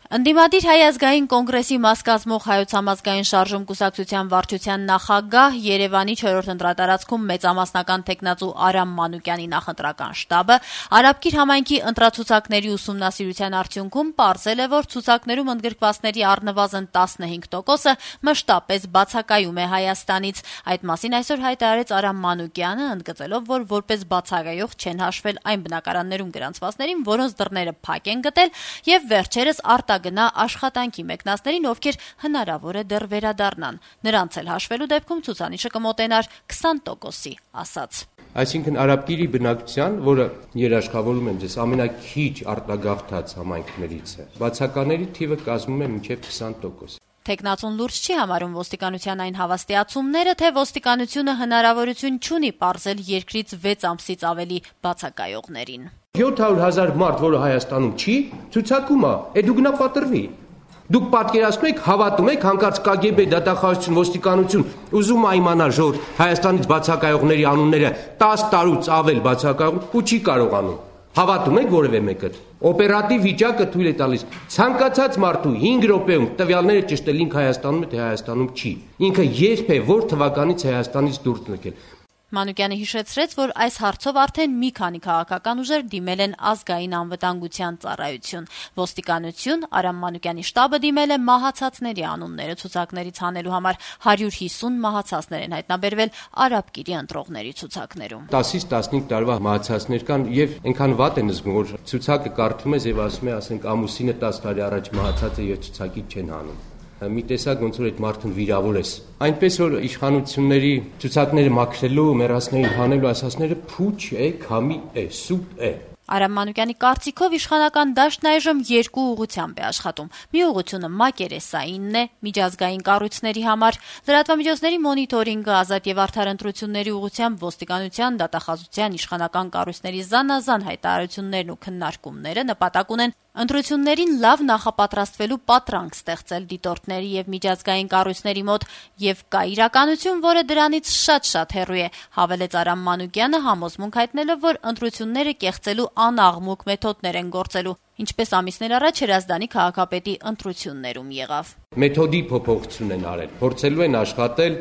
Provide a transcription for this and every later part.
Ընդդիմադիր Հայ ազգային կոնգրեսի մաս կազմող Հայոց համազգային շարժում կուսակցության վարչության նախագահ, Երևանի 4-րդ ընտրատարածքում մեծամասնական թեկնածու Արամ Մանուկյանի նախընտրական շտաբը Արաբկիր համայնքի ընտրացուցակների ուսումնասիրության արդյունքում պարզել է, որ ցուցակներում ընդգրկվածների առնվազն 15%-ը մշտապես բացակայում է Հայաստանից։ Այդ մասին այսօր հայտարարեց Արամ Մանուկյանը, ընդգծելով, որ որպես բացակայող չեն հաշվել այն բնակարաններում գրանցվածներին, որոնց դռները փակ են գտել, եւ վերջերս գնա աշխատանքի մեկնածներին, ովքեր հնարավոր է դեռ վերադառնան։ Նրանց էլ հաշվելու դեպքում ցուցանիշը կմոտենար 20%-ի, ասաց։ Այսինքն Արաբկիրի բնակչության, որը երաշխավորում եմ ձեզ, ամենաքիչ արտագաղթած համայնքներից է, բացակաների թիվը կազմում է մինչև 20%։ Թեկնածուն լուրջ չի համարում ոստիկանության այն հավաստիացումները, թե ոստիկանությունը հնարավորություն չունի պարզել երկրից 6 ամսից ավելի բացակայողներին։ 700,000 մարդ, որը Հայաստանում չի, ցուցակում է, դու գնա պատրվի։ Դուք պատկերացնում եք, հավատում եք, հանկարծ KGB դատախազություն, ոստիկանություն ուզում է իմանալ ժողովուրդ Հայաստանից բացակայողների անունները 10 տարուց ավել բացակայող ու չի կարողանում։ Հավատում եք որևէ մեկը։ Օպերատիվ վիճակը թույլ է տալիս ցանկացած մարդու 5 րոպեում տվյալները ճշտել ինքը Հայաստանում է, թե Հայաստանում չի։ Ինքը երբ է որ թվականից Հայաստանից դուրս եկել։ Մանուկյանը հիշեցրեց, որ այս հարցով արդեն մի քանի քաղաքական ուժեր դիմել են ազգային անվտանգության ծառայություն։ Ոստիկանություն, Արամ Մանուկյանի շտաբը դիմել է մահացածների անունները ցուցակներից հանելու համար։ 150 մահացածներ են հայտնաբերվել Արաբկիրի ընտրողների ցուցակներում։ 10-ից 15 տարվա մահացածներ կան եւ այնքան վատ են զգում, որ ցուցակը կարդում ես եւ ասում է, ասենք ամուսինը 10 տարի առաջ մահացած է եւ ցուցակից չեն հանում։ Մի տեսակ ոնց որ այդ մարդուն վիրավոր ես։ Այնպես որ իշխանությունների ցուցակները մաքրելու, մեռածներին հանելու ասածները փուչ է, քամի է, սուտ է։ Արամ Մանուկյանի կարծիքով իշխանական դաշտն այժմ երկու ուղղությամբ է աշխատում։ Մի ուղղությունը մակերեսայինն է, միջազգային կառույցների համար, լրատվամիջոցների մոնիտորինգը, ազատ եւ արդար ընտրությունների ուղղությամբ ոստիկանության, դատախազության, իշխանական կառույցների զանազան հայտարարություններն ու քննարկումները նպատակ ունեն ընտրություններին լավ նախապատրաստվելու պատրանք ստեղծել դիտորդների եւ միջազգային կառույցների մոտ, եւ կա իրականություն, որը դրանից շատ հեռու է, հավելեց Արամ Մանուկյանը, համոզմունք հայտնելով, որ ընտրությունները կեղծելու անաղմուկ մեթոդներ են գործելու, ինչպես ամիսներ առաջ Հրազդանի քաղաքապետի ընտրություններում եղավ։ Մեթոդի փոփոխություն են արել, փորձելու են աշխատել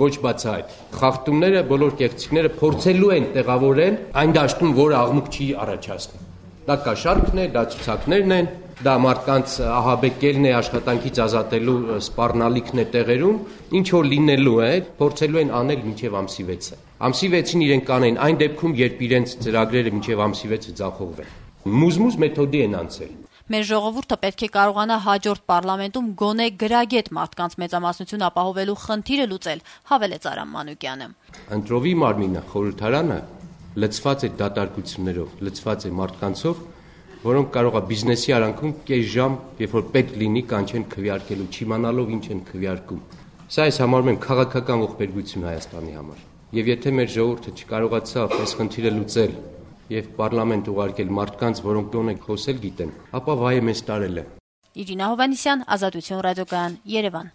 ոչ բացահայտ։ Խախտումները, բոլոր կեղծիքները փորձելու են տեղավորել այն դաշտում, որ աղմուկ չի առաջացնում։ Դա կաշառքն է, դա ցուցակներն են, դա մարդկանց ահաբեկելն է, աշխատանքից ազատելու սպառնալիքն է տեղերում, ինչ որ լինելու է, փորձելու են անել մինչև ամսի 6-ը։ Ամսի 6-ին իրենք կանեն այն դեպքում, երբ իրենց ծրագրերը մինչև ամսի 6-ը ձախողվեն։ Մուզմուզ մեթոդի են անցել։ Մեր ժողովուրդը պետք է կարողանա հաջորդ պարլամենտում գոնե գրագետ մարդկանց մեծամասնություն ապահովելու խնդիրը լուծել, հավելեց Արամ Մանուկյանը։ Ընտրովի մարմինը, խորհրդարանը լցված է դատարկություններով, լցված է մարդկանցով, որոնք կարող է բիզնեսի արանքում կես ժամ, երբ որ պետք լինի, կանչեն քվեարկելու, չիմանալով ինչ են քվեարկում։ Սա ես համարում եմ քաղաքական ողբերգություն Հայաստանի համար։ Եվ եթե մեր ժողովուրդը չկարողացավ այս խնդիրը լուծել եւ պարլամենտ ուղարկել մարդկանց, որոնք գոնե խոսել գիտեն, ապա վայ է մեզ տարել է։ Իրինա Հովհաննիսյան, Ազատություն ռադիոկայան, Երևան։